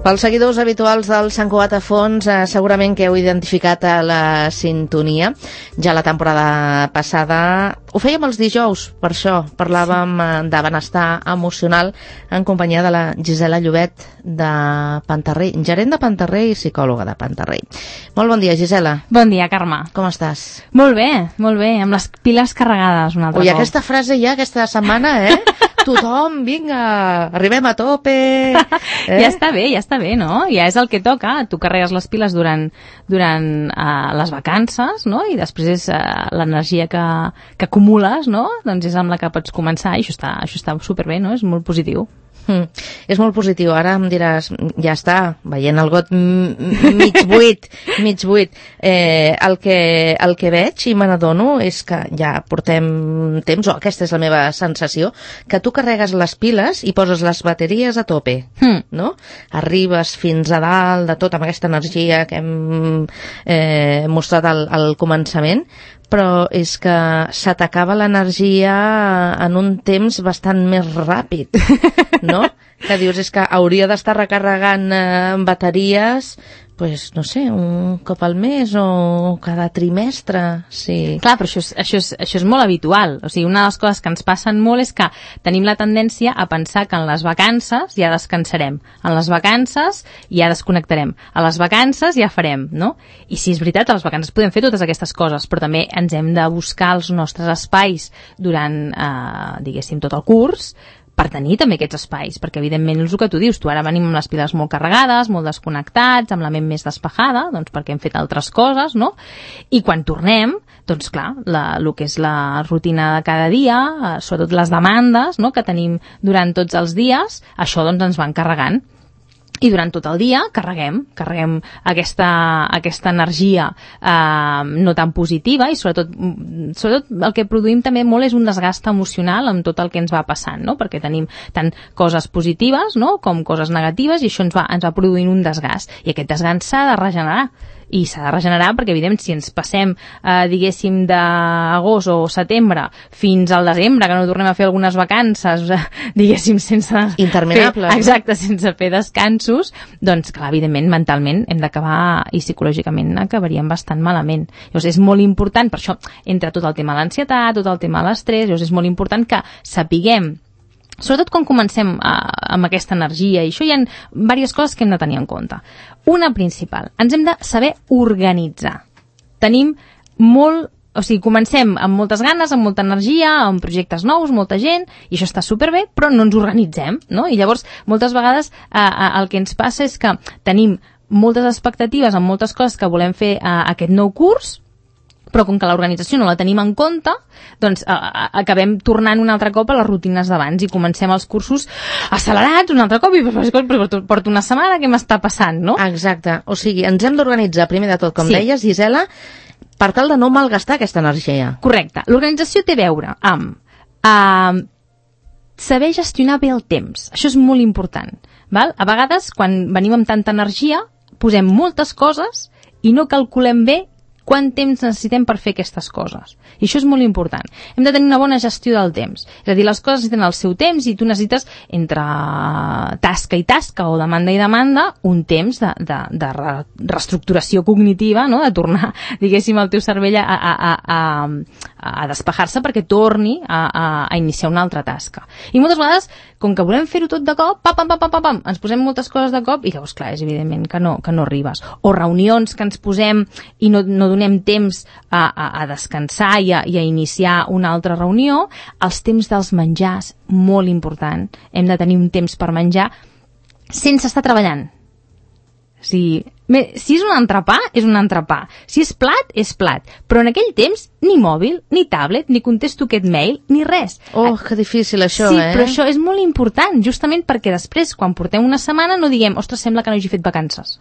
Pels seguidors habituals del Sant Cugat a Fons, segurament que heu identificat a la sintonia. Ja la temporada passada ho fèiem els dijous, per això parlàvem de benestar emocional en companyia de la Gisela Llobet de Pantarrey, gerent de Pantarrey i psicòloga de Pantarrey. Molt bon dia, Gisela. Bon dia, Carme. Com estàs? Molt bé, amb les piles carregades un altre cop. Ui, aquesta frase ja, aquesta setmana, tothom, vinga, arribem a tope. Ja està bé, no? Ja és el que toca. Tu carregues les piles durant les vacances, no? I després és l'energia que acumules, no? Doncs és amb la que pots començar i això està superbé, no? És molt positiu. És molt positiu. Ara em diràs, ja està, veient el got mig buit. El que veig i me n'adono és que ja portem temps, o aquesta és la meva sensació, que tu carregues les piles i poses les bateries a tope, no? Arribes fins a dalt de tot amb aquesta energia que hem mostrat al començament, però és que se t'acaba l'energia en un temps bastant més ràpid, no? Que dius, és que hauria d'estar recarregant bateries, pues, no sé, un cop al mes o cada trimestre, sí. Clar, però això és molt habitual. O sigui, una de les coses que ens passen molt és que tenim la tendència a pensar que en les vacances ja descansarem, en les vacances ja desconnectarem, a les vacances ja farem, no? I sí, és veritat, a les vacances podem fer totes aquestes coses, però també ens hem de buscar els nostres espais durant, diguéssim, tot el curs, per tenir també aquests espais, perquè evidentment és el que tu dius, tu ara venim amb les piles molt carregades, molt desconnectats, amb la ment més despejada, doncs perquè hem fet altres coses, no? I quan tornem, doncs clar, el que és la rutina de cada dia, sobretot les demandes, no?, que tenim durant tots els dies, això doncs ens van carregant. I durant tot el dia carreguem aquesta energia no tan positiva i sobretot el que produïm també molt és un desgast emocional amb tot el que ens va passant, no? Perquè tenim tant coses positives, no?, com coses negatives i això ens va produint un desgast i aquest desgast s'ha de regenerar. I s'ha de regenerar perquè, evidentment, si ens passem, diguéssim, d'agost o setembre fins al desembre, que no tornem a fer algunes vacances, diguéssim, sense interminables, exacte, sense fer descansos, doncs, clar, evidentment, mentalment hem d'acabar i psicològicament acabaríem bastant malament. Llavors, és molt important, per això entra tot el tema de l'ansietat, tot el tema de l'estrès, llavors és molt important que sapiguem, sobretot quan comencem amb aquesta energia, i això hi ha diverses coses que hem de tenir en compte. Una principal, ens hem de saber organitzar. Tenim comencem amb moltes ganes, amb molta energia, amb projectes nous, molta gent, i això està superbé, però no ens organitzem, no? I llavors, moltes vegades, el que ens passa és que tenim moltes expectatives amb moltes coses que volem fer aquest nou curs, però com que l'organització no la tenim en compte, doncs acabem tornant un altre cop a les rutines d'abans i comencem els cursos accelerats un altre cop i porto una setmana, què m'està passant, no? Exacte, o sigui, ens hem d'organitzar primer de tot, com deies, Gisela, per tal de no malgastar aquesta energia. Correcte, l'organització té a veure amb saber gestionar bé el temps, això és molt important, val? A vegades, quan venim amb tanta energia, posem moltes coses i no calculem bé quant temps necessitem per fer aquestes coses. I això és molt important. Hem de tenir una bona gestió del temps. És a dir, les coses necessiten el seu temps i tu necessites, entre tasca i tasca o demanda i demanda, un temps de reestructuració cognitiva, no?, de tornar, diguéssim, el teu cervell a despejar-se perquè torni a iniciar una altra tasca. I moltes vegades, com que volem fer-ho tot de cop, ens posem moltes coses de cop i llavors, clar, és evidentment que no arribes. O reunions que ens posem i no donem temps a descansar i a iniciar una altra reunió. Els temps dels menjars, molt important. Hem de tenir un temps per menjar sense estar treballant. Si és un entrepà, és un entrepà. Si és plat, és plat. Però en aquell temps, ni mòbil, ni tablet, ni contesto aquest mail, ni res. Oh, que difícil això, Sí, però això és molt important, justament perquè després, quan portem una setmana, no diguem, ostres, sembla que no hagi fet vacances.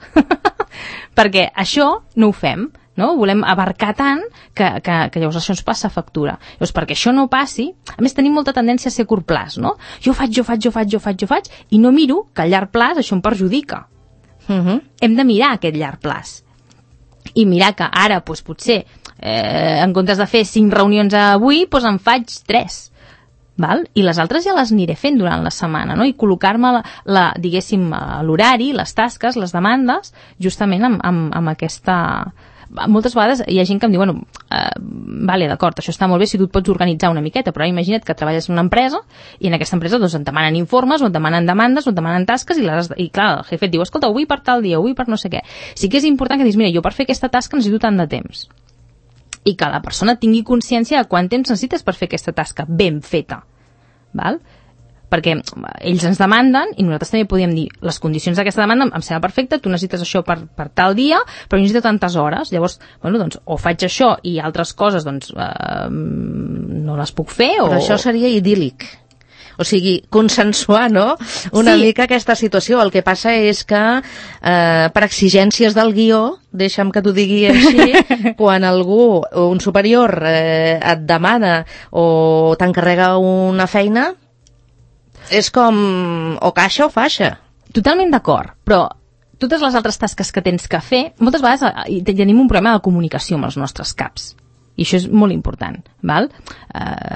Perquè això no ho fem, no? Volem abarcar tant que llavors això ens passa factura. Llavors, perquè això no passi, a més tenim molta tendència a ser a curt plaç, no? Jo faig, i no miro que a llarg plaç això em perjudica. Hem de mirar aquest llarg plaç i mirar que ara, potser en comptes de fer 5 reunions avui, en faig 3 val? I les altres ja les aniré fent durant la setmana, no? I col·locar-me, diguéssim, l'horari, les tasques, les demandes, justament amb aquesta... Moltes vegades hi ha gent que em diu, vale, d'acord, això està molt bé si tu et pots organitzar una miqueta, però imagina't que treballes en una empresa i en aquesta empresa doncs et demanen informes, o et demanen demandes, o et demanen tasques i clar, el jefe et diu, escolta, ho vull per tal dia, ho vull per no sé què. Sí que és important que diguis, mira, jo per fer aquesta tasca necessito tant de temps. I que la persona tingui consciència de quant temps necessites per fer aquesta tasca ben feta. Val? Perquè ells ens demanden i nosaltres també podíem dir les condicions d'aquesta demanda em sembla perfecte, tu necessites això per tal dia, però jo necessito tantes hores. Llavors, doncs, o faig això i altres coses doncs, no les puc fer. Però això seria idíl·lic. O sigui, consensuar, no?, una mica aquesta situació. El que passa és que per exigències del guió, deixa'm que t'ho digui així, quan algú, un superior, et demana o t'encarrega una feina, és com o caixa o faixa. Totalment d'acord, però totes les altres tasques que tens que fer, moltes vegades tenim un problema de comunicació amb els nostres caps. I això és molt important, val?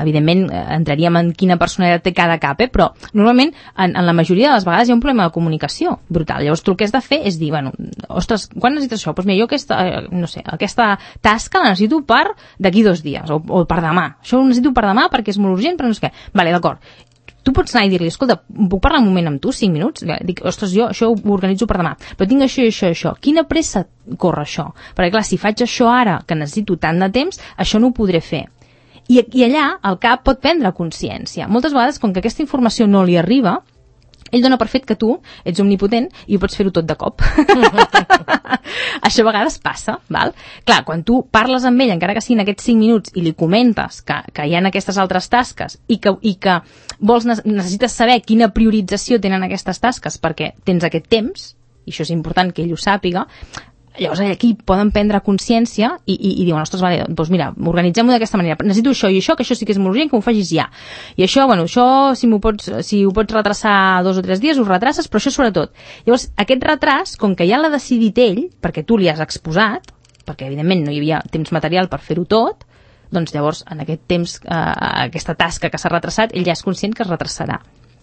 Evidentment, entraríem en quina personalitat té cada cap, però normalment, en la majoria de les vegades hi ha un problema de comunicació brutal. Llavors, tu el que has de fer és dir, ostres, quan necessites això? Doncs mira, jo aquesta tasca la necessito per d'aquí 2 dies, o per demà. Això ho necessito per demà perquè és molt urgent, però no sé què. Vale, d'acord. Tu pots anar i dir-li, escolta, puc parlar un moment amb tu, 5 minuts? Dic, ostres, jo això ho organitzo per demà, però tinc això i això i això. Quina pressa corre això? Perquè clar, si faig això ara, que necessito tant de temps, això no ho podré fer. I allà el cap pot prendre consciència. Moltes vegades, com que aquesta informació no li arriba, ell dona per fet que tu ets omnipotent i ho pots fer-ho tot de cop. Això a vegades passa, val? Clar, quan tu parles amb ell, encara que siguin aquests 5 minuts, i li comentes que hi ha aquestes altres tasques i que necessites saber quina priorització tenen aquestes tasques perquè tens aquest temps, i això és important que ell ho sàpiga, llavors aquí poden prendre consciència i diuen, ostres, vale, doncs mira, organitzem-ho d'aquesta manera, necessito això i això, que això sí que és molt urgent, que ho facis ja. I això, això si ho pots retrasar 2 o 3 dies, ho retraces, però això sobretot. Llavors, aquest retras, com que ja l'ha decidit ell, perquè tu li has exposat, perquè evidentment no hi havia temps material per fer-ho tot, doncs llavors, en aquest temps, aquesta tasca que s'ha retrasat, ell ja és conscient que es retrasarà.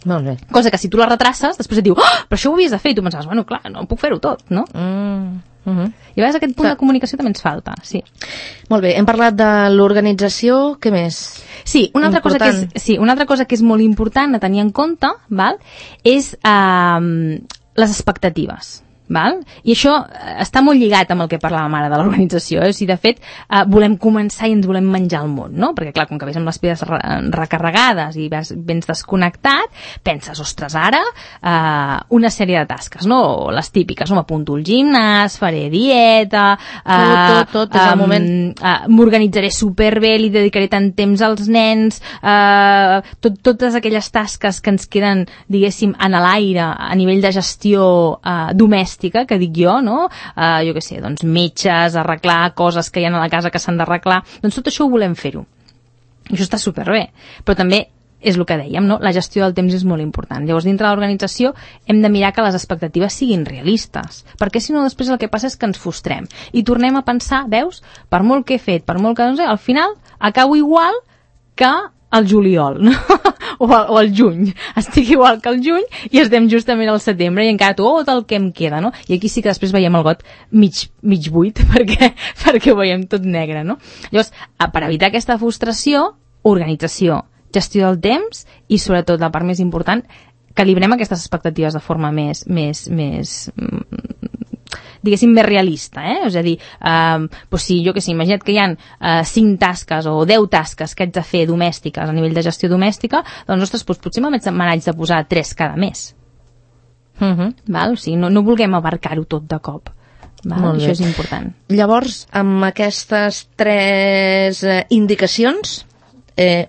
Molt bé. Cosa que si tu la retraces, després et diu, però això ho havies de fer, i tu pensaves, clar, no puc fer-ho tot, no? I a vegades aquest punt de comunicació també ens falta, sí. Molt bé, hem parlat de l'organització, què més? Sí, una altra cosa que és molt important a tenir en compte, val, és les expectatives. Val? I això està molt lligat amb el que parlàvem ara de l'organització, o sigui, de fet volem començar i ens volem menjar el món, no? Perquè clar, com que vés amb les piles recarregades i vens desconnectat, penses, ostres, ara una sèrie de tasques, no? Les típiques, m'apunto al gimnàs, faré dieta, tot és el moment, m'organitzaré superbé, li dedicaré tant temps als nens, totes aquelles tasques que ens queden, diguéssim, en l'aire a nivell de gestió domèstica, que dic jo, no? Jo què sé, doncs metges, arreglar coses que hi ha a la casa que s'han d'arreglar, doncs tot això ho volem fer-ho. I això està superbé, però també és el que dèiem, no? La gestió del temps és molt important. Llavors, dintre de l'organització hem de mirar que les expectatives siguin realistes, perquè si no després el que passa és que ens frustrem i tornem a pensar, veus, per molt que he fet, per molt que no sé, al final acabo igual que el juliol, no? o el juny. Estic igual que el juny i estem justament al setembre i encara tot el que em queda, no? I aquí sí que després veiem el got mig buit perquè ho veiem tot negre, no? Llavors, per evitar aquesta frustració, organització, gestió del temps i sobretot, la part més important, calibrem aquestes expectatives de forma més diguéssim, més realista, És a dir, si jo que sé, imagina't que hi ha 5 tasques o 10 tasques que haig de fer domèstiques a nivell de gestió domèstica, doncs, ostres, potser me n'haig de posar 3 cada mes. Val? O sigui, no vulguem abarcar-ho tot de cop. Això és important. Llavors, amb aquestes 3 indicacions,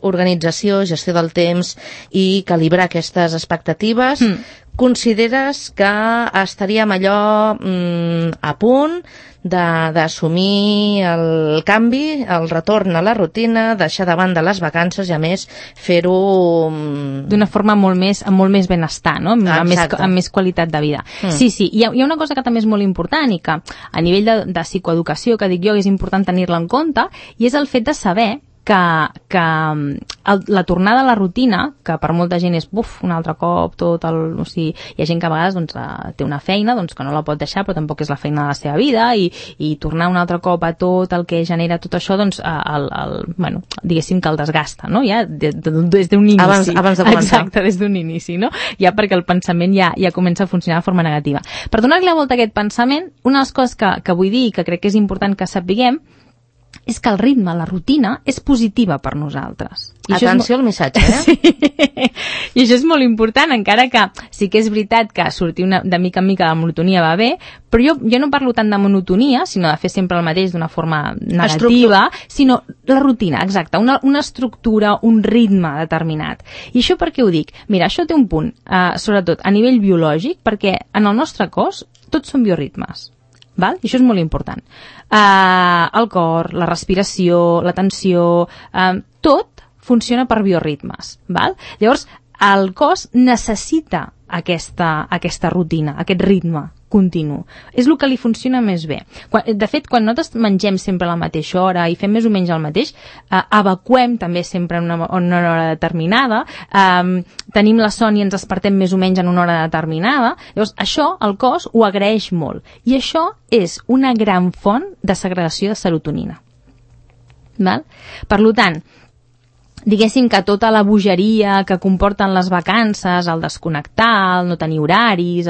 organització, gestió del temps i calibrar aquestes expectatives, consideres que estaríem allò a punt d'assumir el canvi, el retorn a la rutina, deixar de banda les vacances i a més fer-ho d'una forma amb molt més benestar, no? Amb més qualitat de vida. Sí, hi ha una cosa que també és molt important i que a nivell de psicoeducació, que dic jo, és important tenir-la en compte, i és el fet de saber la tornada a la rutina, que per molta gent és un altre cop, o sigui, hi ha gent que a vegades doncs, té una feina doncs, que no la pot deixar, però tampoc és la feina de la seva vida, i tornar un altre cop a tot el que genera tot això, doncs, bueno, diguéssim que el desgasta, no? Ja des d'un inici. Abans de començar. Exacte, des d'un inici, no? Ja perquè el pensament ja comença a funcionar de forma negativa. Per donar-li la volta a aquest pensament, una de les coses que vull dir i que crec que és important que sapiguem és que el ritme, la rutina, és positiva per nosaltres. Atenció al missatge, Sí. I això és molt important, encara que sí que és veritat que sortir de mica en mica de la monotonia va bé, però jo no parlo tant de monotonia, sinó de fer sempre el mateix d'una forma negativa, sinó la rutina, exacte, una estructura, un ritme determinat. I això per què ho dic? Mira, això té un punt, sobretot a nivell biològic, perquè en el nostre cos tots són bioritmes. Val? I això és molt important. El cor, la respiració, la tensió, tot funciona per bioritmes. Val? Llavors, el cos necessita aquesta rutina, aquest ritme continu. És el que li funciona més bé. De fet, quan nosaltres mengem sempre a la mateixa hora i fem més o menys el mateix, evacuem també sempre en una hora determinada, tenim la son i ens despertem més o menys en una hora determinada. Llavors, això el cos ho agraeix molt. I això és una gran font de segregació de serotonina. Val? Per tant, diguéssim que tota la bogeria que comporten les vacances, el desconnectar, el no tenir horaris,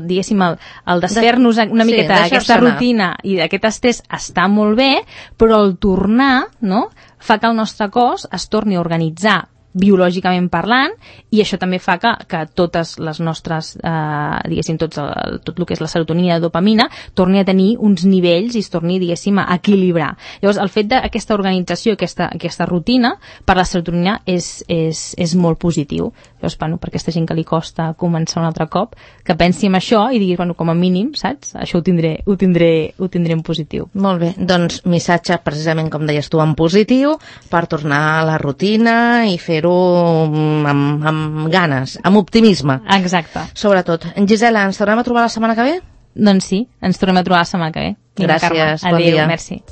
diguéssim, el desfer-nos una miqueta d'aquesta rutina i d'aquest estrès està molt bé, però el tornar, no?, fa que el nostre cos es torni a organitzar biològicament parlant, i això també fa que totes les nostres, diguéssim, tot el que és la serotonina i la dopamina torni a tenir uns nivells i es torni, diguéssim, a equilibrar. Llavors, el fet d'aquesta organització, aquesta rutina, per la serotonina és molt positiu. Llavors, bueno, per aquesta gent que li costa començar un altre cop, que pensi en això i diguis, bueno, com a mínim, saps? Això ho tindré en positiu. Molt bé, doncs missatge precisament, com deies tu, en positiu, per tornar a la rutina i fer-ho amb ganes, amb optimisme. Exacte. Sobretot. Gisela, ens tornem a trobar la setmana que ve? Doncs sí, ens tornem a trobar la setmana que ve. Gràcies, bon dia. Adéu, merci.